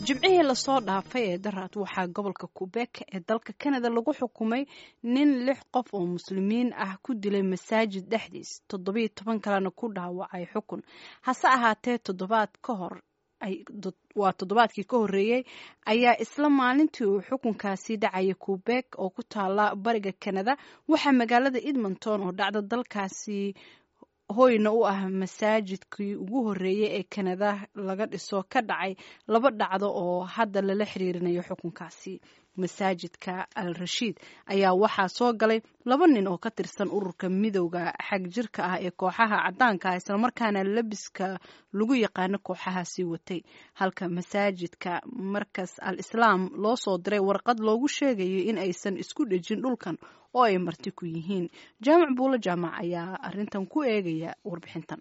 Jimcihii lasoo dhaafay ee daraad waxaa gobolka Quebec ee dalka Canada lagu xukumay nin lix qof oo muslimiin ah ku dilay masaajid dhexdiis, 17 kalena ku dhaawacay xukun. Hase ahaatee, toddobaad ka hor, waa toddobaadkii ka horreeyey, ayaa isla maalintii uu xukunkaasi dhacayay Quebec oo ku taala bariga Canada waxaa magaalada Edmonton oo dhacda dalkaasi hoyna u ah masaajidkii ugu horreeyey ee Kanada laga dhiso ka dhacay laba dhacdo oo hadda lala xiriirinayo xukunkaasi. Masaajidka Al Rashiid ayaa waxaa soo galay laba nin oo ka tirsan ururka midowda xag jirka ah ee kooxaha caddaanka ah, islamarkaana labiska lagu yaqaano kooxahaasi watay, halka masaajidka Markas Al Islaam loo soo diray warqad loogu sheegayo in aysan isku dhejin dhulkan oo ay marti ku yihiin. Jaamac Buulo Jaamac ayaa arrintan ku eegaya warbixintan.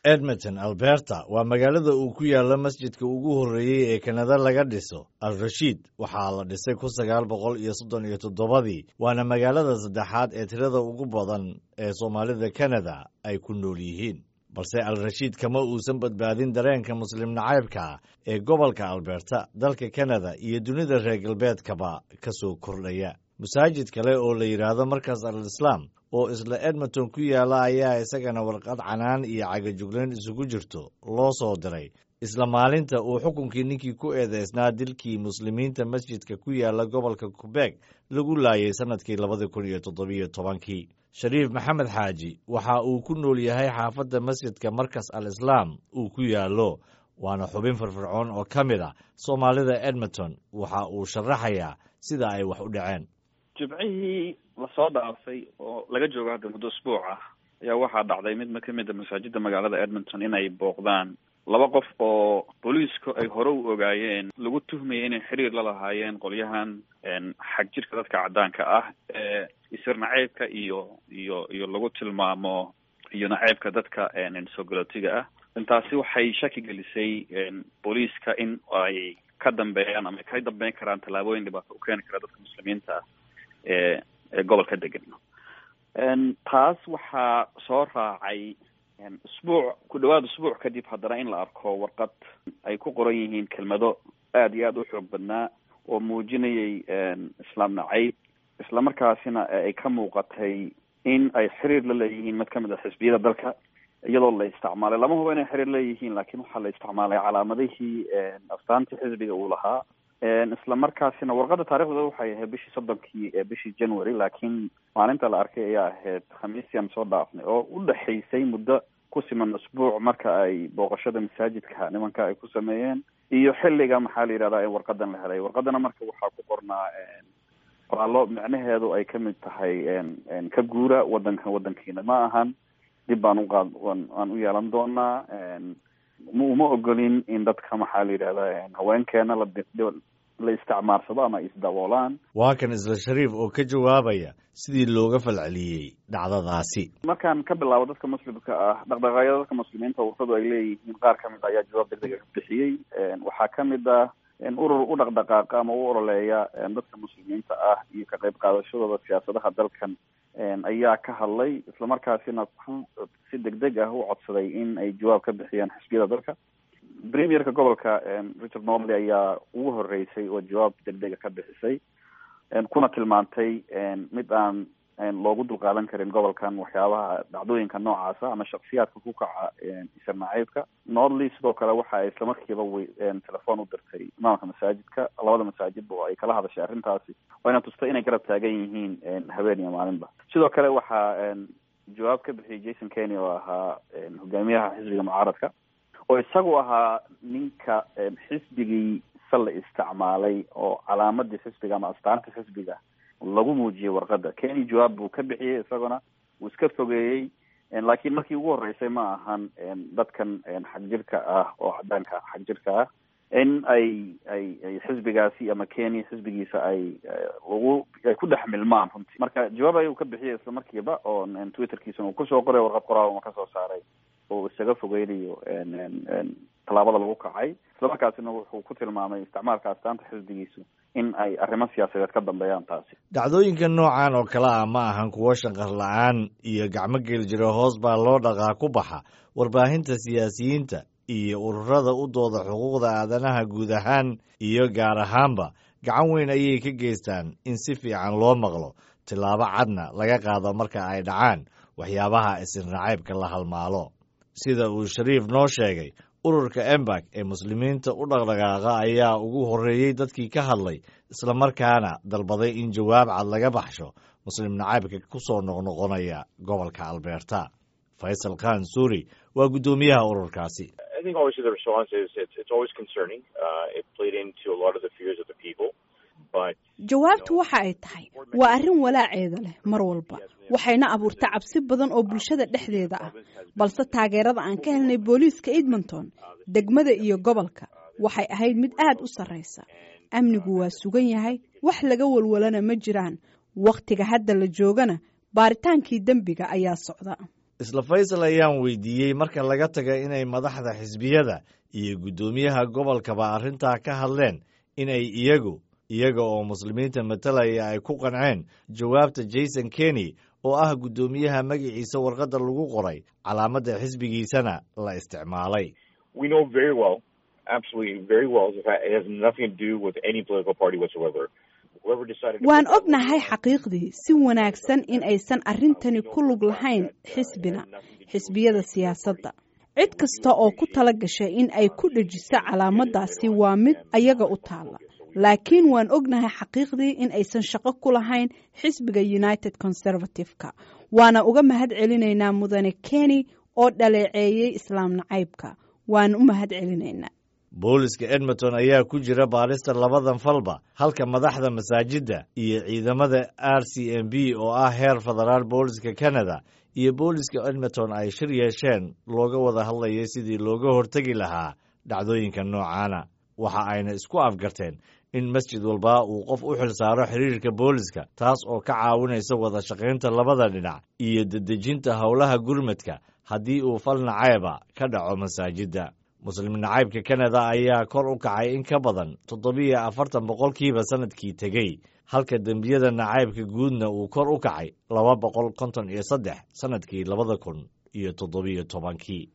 Edmonton, Alberta, waa magaalada uu ku yaalo masjidka ugu horreeyey ee Kanada laga dhiso. Al Rashiid waxaa la dhisay 1937-dii, waana magaalada saddexaad ee tirada ugu badan ee Soomaalida Kanada ay ku nool yihiin. Balse Al Rashiid kama uusan badbaadin dareenka muslim nacaybka ee gobolka Alberta, dalka Kanada iyo dunida reer galbeedkaba ka soo kordhaya. Masaajid kale oo la yidhaahdo Markas Al Islaam oo isla Edmonton ku yaala ayaa isagana warqad canaan iyo cagajuglayn isugu jirto loo soo diray isla maalinta uu xukunkii ninkii ku eedeysnaa dilkii muslimiinta masjidka ku yaala gobolka Quebec lagu laayay sannadkii 2017-kii. Shariif Maxamed Xaaji waxa uu ku nool yahay xaafadda masjidka Markas Al Islaam uu ku yaallo, waana xubin firfircoon oo ka mid ah Soomaalida Edmonton. Waxa uu sharaxayaa sida ay wax u dhaceen. Jimcihii lasoo dhaafay oo laga joogo hadda muddo usbuuc ah ayaa waxaa dhacday mid kamid a masaajida magaalada Edmonton inay booqdaan laba qof oo booliisku ay hore u ogaayeen, lagu tuhmayay inay xiriir la lahaayeen qolyahan xag jirka dadka caddaanka ah ee isir naceybka iyo lagu tilmaamo iyo naceybka dadka soo galootiga ah. Intaasi waxay shaki gelisay booliiska in ay ka dambeeyaan ama ka dambeyn karaan tallaabooyin dhibaato u keeni kara dadka muslimiinta ah ee gobolka degan. Taas waxaa soo raacay usbuuc ku dhawaad usbuuc kadib haddana in la arko warqad ay ku qoran yihiin kelmado aada iyo aada u xoog badnaa oo muujinayay islaam nacayb, islamarkaasina ay ka muuqatay in ay xiriir la leeyihiin mid kamid a xisbiyada dalka, iyadoo la isticmaalay, lama hubo inay xiriir leeyihiin, laakiin waxaa la isticmaalay calaamadihii astaantii xisbiga uu lahaa. Isla markaasina warqadda taarikhdeeda waxay ahayd bishii 30-kii ee bishii January, laakiin maalinta la arkay ayaa ahayd Khamiistii aan soo dhaafnay oo u dhexaysay muddo ku siman usbuuc marka ay booqashada masaajidka nimanka ay ku sameeyeen iyo xilliga, maxaa la yidhahdaa, in warqadan la helay. Warqadana marka waxaa ku qornaa qoraallo micnaheedu ay kamid tahay "Ka guura wadankan, wadankiina ma ahan, dib baan uqaad aan u yeelan doonaa, uma ogolin in dadka, maxaa la yidhahdaa, haweenkeena la isticmaarsado ama isdaboolaan." Waa kan isla Shariif oo ka jawaabaya sidii looga falceliyey dhacdadaasi. Markaan ka bilaabo dadka muslimka ah, dhaqdhaqaaqyada dadka muslimiinta ururadu ay leeyihiin qaar kamid a ayaa jawaab degdega ka bixiyey. Waxaa kamid ah urur u dhaqdhaqaaqa ama u ololeeya dadka muslimiinta ah iyo ka qayb qaadashadooda siyaasadaha dalkan ayaa ka hadlay, islamarkaasina ku si degdeg ah u codsaday in ay jawaab ka bixiyaan xisbiyada dalka. Premierka gobolka Richard Notley ayaa ugu horeysay oo jawaab degdega ka bixisay, kuna tilmaantay mid aan loogu dulqaadan karin gobolkan waxyaabaha dhacdooyinka noocaasa ama shaksiyaadka ku kaca isir nacaybka. Notley sidoo kale waxa ay islamarkiiba telefoon u dirtay imaamka masaajidka, labada masaajidba oo ay kala hadashay arrintaasi, wayna tustay inay garab taagan yihiin habeen iyo maalinba. Sidoo kale waxaa jawaab ka bixiyay Jason Kenney oo ahaa hogaamiyaha xisbiga mucaaradka, oo isagu ahaa ninka xisbigiisa la isticmaalay oo calaamadii xisbiga ama astaanta xisbiga lagu muujiyey warqadda. Kenney jawaab buu ka bixiyey, isaguna wuu iska fogeeyey, laakiin markii ugu horreysay ma ahan dadkan xagjirka ah oo caddaanka xagjirka ah in ay xisbigaasi ama Kenney xisbigiisa ay lagu ay ku dhex milmaan runtii. Marka jawaab ayuu ka bixiyay isla markiiba oo Twitterkiisana uu kusoo qoray warqad qoraal uma kasoo saaray oo isaga fogeynayo tallaabada lagu kacay, islamarkaasina wuxuu ku tilmaamay isticmaalka astaanta xisbigiisu in ay arrimo siyaasadeed ka dambeeyaan taasi. Dhacdooyinka noocan oo kale ah ma ahan kuwo shanqar la-aan iyo gacmo geel jiro hoos baa loo dhaqaa ku baxa warbaahinta siyaasiyiinta iyo ururada u dooda xuquuqda aadanaha guud ahaan iyo gaar ahaanba gacan weyn ayay ka geystaan in si fiican loo maqlo, tillaabo cadna laga qaado marka ay dhacaan waxyaabaha isir nacaybka la halmaalo. Sida uu Shariif noo sheegay, ururka Embak ee muslimiinta u dhaqdhaqaaqa ayaa ugu horreeyey dadkii ka hadlay, islamarkaana dalbaday in jawaab cad laga baxsho muslim nacaybka ku soo noqnoqonaya gobolka Alberta. Faysal Khan Suuri waa guddoomiyaha ururkaasi. I think obviously the response is it's always concerning. It played into a lot of the fears of the people. But Jawaabtu waxa ay tahay waa arrin walaaceeda leh mar walba, waxayna abuurta cabsi badan oo bulshada dhexdeeda ah. Balse taageerada aan ka helnay booliiska Edmonton, degmada iyo gobolka waxay ahayd mid aad u sarreysa. Amnigu waa sugan yahay, wax laga walwalana ma jiraan. Wakhtiga hadda la joogana baaritaankii dembiga ayaa socda. Isla Faysal ayaan weydiiyey, marka laga taga inay madaxda xisbiyada iyo guddoomiyaha gobolkaba arrintaa ka hadleen, inay iyaga oo muslimiinta matalaya ay ku qanceen jawaabta Jason Kenney oo ah guddoomiyaha magaciisa warqadda lagu qoray, calaamadda xisbigiisana la isticmaalay. We know very well, absolutely very well, in fact, it has nothing to do with any political party whatsoever. Whoever decided to Waan put that ognahay xaqiiqdii si wanaagsan in aysan arrintani ku lug lahayn xisbina, xisbiyada siyaasadda. Cid kasta oo ku tala gashay in ay ku dhejiso calaamaddaasi waa mid ayaga u taalla, laakiin waan ognahay xaqiiqdii in aysan shaqo ku lahayn xisbiga United Conservative-ka. Waana uga mahad celinaynaa mudane Kenney oo dhaleeceeyey islaam nacaybka. Waan u mahad celinaynaa. Booliska Edmonton ayaa ku jira baarista labadan falba, halka madaxda masaajidda iyo ciidamada RCMP oo ah heer federaal booliska Canada iyo booliska Edmonton ay shir yeesheen looga wada hadlayay sidii looga hortegi lahaa dhacdooyinka noocaana. Waxa ayna isku afgarteen in masjid walba uu qof u xil saaro xiriirka booliska, taas oo ka caawinaysa wada shaqaynta labada dhinac iyo dedejinta howlaha gurmadka haddii uu fal nacayba ka dhaco masaajidda. Muslim nacaybka Canada ayaa kor u kacay in ka badan 47% sannadkii tegey, halka dembiyada nacaybka guudna uu kor u kacay 253 sannadkii 2017-kii.